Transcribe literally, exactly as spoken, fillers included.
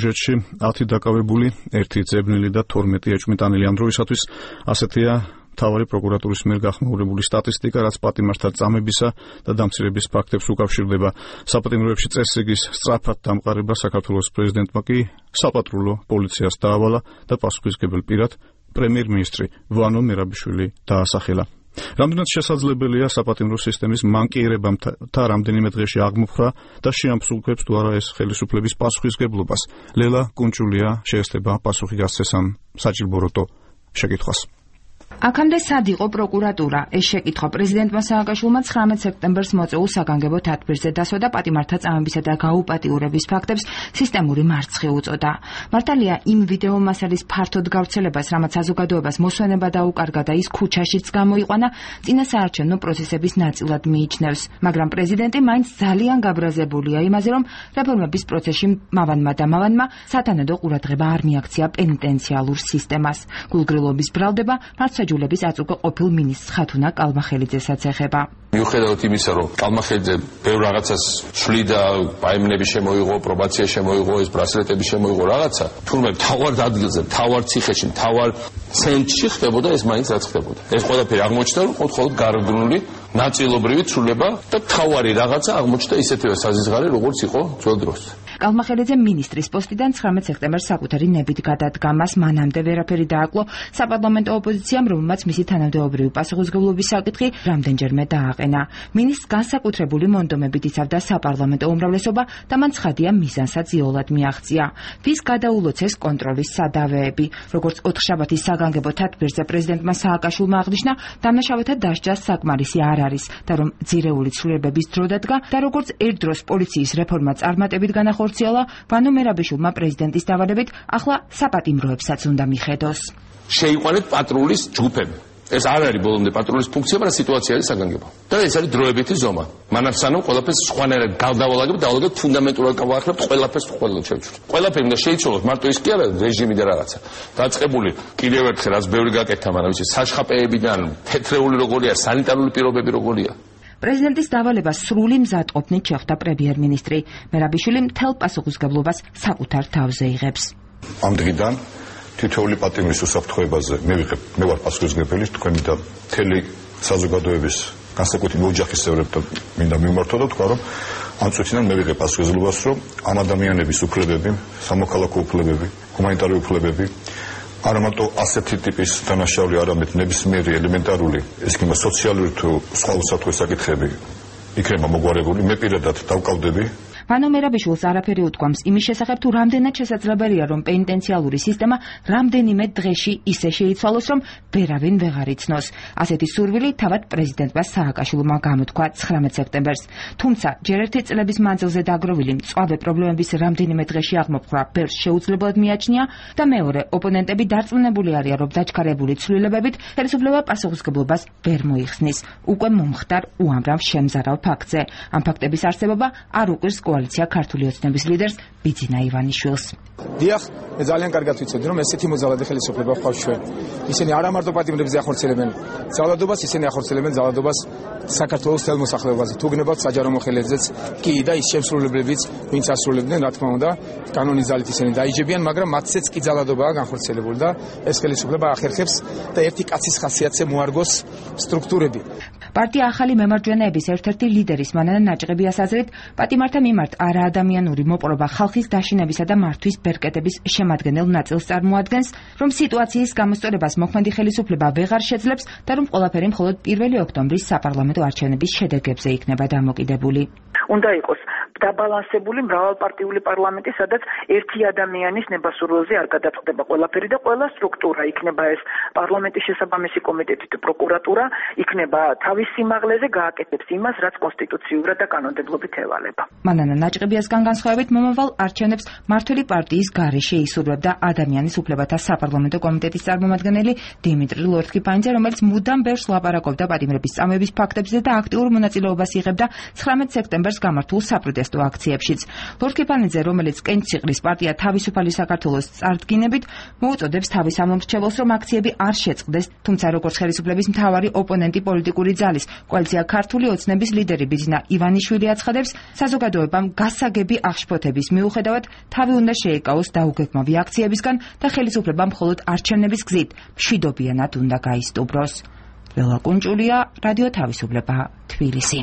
ბიუჯეტში ათი დაკავებული, ერთი ძებნილი და თორმეტი ეჭვმიტანილი ამ დროისათვის ასეთია მთავარი პროკურატურის მიერ გახმაურებული სტატისტიკა, რაც პატიმართა წამებისა და დამცირების ფაქტებს უკავშირდება. საპატიმროებში წესრიგის სწრაფად დამყარება საქართველოს პრეზიდენტმა კი საპატრულო პოლიციას დაავალა და პასუხისმგებელ პირად პრემიერ-მინისტრი ვანო მერაბიშვილი დაასახელა. რამდენად შესაძლებელია საპატიმრო სისტემის მანკიერებამთა რამდენიმე დღეში აღმოფხვრა და შეამსუბუქებს თუ არა ეს ხელისუფლების პასუხისმგებლობას. ლელა კუნჭულია შეესწრება პასუხი გასცეს ამ საჭიროებო შეკითხვას. აქამდე სად იყო პროკურატურა? ეს შეკითხვა პრეზიდენტმა სააკაშვილმა ცხრამეტ სექტემბერს მოწეულ საგანგებო თათბირზე დასვა და პატიმართა წამებისა და გაუპატიურების ფაქტებს სისტემური მარცხი უწოდა. მართალია იმ ვიდეო მასალის ფართოდ გავრცელებას, რამაც საზოგადოებას მოსვენება დაუკარგა და ის ქუჩაშიც გამოიყვანა, წინასაარჩევნო პროცესების ნაწილად მიიჩნევს. მაგრამ პრეზიდენტი მაინც ძალიან გაბრაზებულია იმაზე, რომ რეფორმების პროცესში მავანმა და მავანმა სათანადო ყურადღება არ მიაქცია პენიტენციალურ სისტემას. გულგრილობის ბრალდება მართლმსაჯულების აწუხა ყოფილ მინისტრ ხათუნა კალმახელიძესაც ეხება. მიუხედავად იმისა, რომ კალმახელიძე ბევრ რაღაცას შლიდა, პაემნები შემოიღო, პრობაცია შემოიღო, ეს ბრასლეტები შემოიღო რაღაცა, თურმე მთავარ ადგილზე, მთავარ ციხეში, მთავარ ცენტრში ხდებოდა ეს მაინც რაც ხდებოდა. ეს ყველაფერი აღმოჩნდა, რომ მხოლოდ გარდნული ნაწილობრივი ცვლილება და მთავარი რაღაცა აღმოჩნდა ისეთივე საზღარი, როგორც იყო ძველ დროს. კალმახელიძე მინისტრის პოსტიდან ცხრამეტ სექტემბერს საკუთარი ნებით გადადგა. მას მანამდე ვერაფერი დააკლო საპარლამენტო ოპოზიციამ, რომელმაც მისი თანამდებობრივი პასუხისმგებლობის საკითხი რამდენჯერმე დააყენა. მინისტრს განსაკუთრებული მონდომებით იცავდა საპარლამენტო უმრავლესობა და მან ცხადია მიზანსაც იოლად მიაღწია. ვის გადაულოცეს კონტროლის სადავეები. როგორც ოთხშაბათის საგანგებო თათბირზე პრეზიდენტმა სააკაშვილმა აღნიშნა, დამნაშავეთა დასჯა საკმარისი არ არის და რომ ძირეული ცვლილებების დრო დადგა და როგორც ერთდროს პოლიციის რეფორმა წარმატებით განახორციელა, ვანო მერაბიშვილმა პრეზიდენტის დავალებით ახლა საპატიმროებსაც უნდა მიხედოს. შეიყვანეთ პატრულის ჯგუფები. ეს არ არის ბოლომდე პატრულის ფუნქცია, მაგრამ სიტუაცია არის საგანგებო. და ეს არის დროებითი ზომა. მანამ სანამ ყველაფერს სხვანაირად გავდავალაგებ, დავალაგებ ფუნდამენტურად გავაახლებ ყველაფერს ყველა შევჩვით. ყველაფერი უნდა შეიცვალოს, მარტო ის კი არა რეჟიმი და რაღაცა. დაწყებული კიდევ ერთხელ რაც ბევრი გაკეთა, მაგრამ იცი საშხაპეებიდან თეთრეული როგორია, სანიტარული პირობები როგორია. პრეზიდენტის დავალებას სრული მზადყოფნით შეხვდა პრემიერ-მინისტრი. მერაბიშვილი მთელ პასუხისმგებლობას საკუთარ თავზე იღებს. ამ დღიდან თითოეული პატიმრის უსაფრთხოებაზე მე ვიღებ, მე ვარ პასუხისმგებელი თქვენი და მთელი საზოგადოების განსაკუთრებით ოჯახის წევრებთან მინდა მიმართო და თქვა, რომ ამ წუთიდან მე ვიღებ პასუხისმგებლობას, რომ ამ ადამიანების უფლებები, სამოქალაქო უფლებები, ჰუმანიტარული უფლებები არა მარტო ასეთი ტიპის დანაშაული, არამედ ნებისმიერი ელემენტარული, ეს კი სოციალური თუ სხვა უსაფრთხო საკითხები იქნება მოგვარებული. მე პირადად დავკავდები. ვანო მერაბიშვილს არაფერი უთქვამს იმის შესახებ, თუ რამდენად შესაძლებელია, რომ პენიტენციალური სისტემა რამდენიმე დღეში ისე შეიცვალოს, რომ ვერავინ ვეღარ იცნოს. ასეთი სურვილი თავად პრეზიდენტმა სააკაშვილმა გამოთქვა ცხრამეტ სექტემბერს. თუმცა ჯერ ერთი წლების მანძილზე დაგროვილი მწვავე პრობლემების რამდენიმე დღეში აღმოფხვრა ბევრს შეუძლებლად მიაჩნია და მეორე, ოპონენტები დარწმუნებული არიან, რომ დაჩქარებული ცვლილებებით ხელისუფლება პასუხისმგებლობას ვერ მოიხსნის. უკვე მომხდარ უამრავ შემზარავ ფაქტზე. ამ ფაქტების არსებობა არ უყვირს კოალიცია ქართული ოცნების ლიდერს ბიძინა ივანიშვილს. დიახ, მე ძალიან კარგად ვიცოდი, რომ ესეთი მოძალადე ხელისუფლება ხვალ ჩვენ. ისინი არა მარტო პატიმრებზე ახორციელებენ ძალადობას, ისინი ახორციელებენ ძალადობას საქართველოს თელ მოსახლეობაზე. თუ გნებავთ საჯარო მოხელეებზეც კი და ის შემსრულებლებიც, ვინც ასრულებდნენ, რა თქმა უნდა, კანონის ძალით ისინი დაიჯებიან, მაგრამ მათცეც კი ძალადობაა განხორციელებული და ეს ხელისუფლება ახერხებს და ერთი კაცის ხასიათზე მოარგოს სტრუქტურები. პარტია ახალი მემარჯვენეების ერთ-ერთი ლიდერის მანანა ნაჭყებიას აზრით, პატიმართა მიმართ არაადამიანური მოპყრობა ხალხის დაშინებისა და მართვის ბერკეტების შემადგენელ ნაწილს წარმოადგენს, რომ სიტუაციის გამოსწორებას მოქმედი ხელისუფლება ვეღარ შეძლებს და რომ ყველაფერი მხოლოდ პირველი ოქტომბრის საპარლამენტო არჩევნების შედეგებზე იქნება დამოკიდებული. უნდა იყოს დაბალანსებული მრავალპარტიული პარლამენტი, სადაც ერთი ადამიანის ნებასურველზე არ გადაწყდება ყველაფერი და ყველა სტრუქტურა იქნება ეს პარლამენტის შესაბამისი კომიტეტი და პროკურატურა იქნება თავის სიმაღლეზე გააკეთებს იმას, რაც კონსტიტუციურად და კანონმდებლობით ევალება. მანანა ნაჭყებიასგან განსხვავებით მომავალ არჩევნებს მართველი პარტიის გარეშე ისურვებდა ადამიანის უფლებათა საპარლამენტო კომიტეტის წარმომადგენელი დიმიტრი ლორთქიფანიძე, რომელიც მუდამ ბევრს ლაპარაკობდა პატიმრების წამების ფაქტებზე და აქტიურ მონაწილეობას იღებდა ცხრამეტ სექტემბერს გამართულ საპროტესტო აქციებშიც. ლორთქიფანიძე, რომელიც კენჭისყრის პარტია თავისუფალი საქართველოს წარდგინებით მოუწოდებს თავის ამომრჩეველს, რომ აქციები არ შეწყდეს, თუმცა როგორც ხელისუფლების მთავარი ოპონენტი პოლიტიკური ძალის კოალიცია ქართული ოცნების ლიდერი ბიძინა ივანიშვილი აცხადებს, საზოგადოებამ გასაგები აღშფოთების მიუხედავად თავი უნდა შეეკავოს დაუსწავლოს დაუგეგმავი აქციებისგან და ხელისუფლება მხოლოდ არჩევნების გზით მშვიდობიანად უნდა გაისტუბროს. ველა კუნჭულია, რადიო თავისუფლება, თბილისი.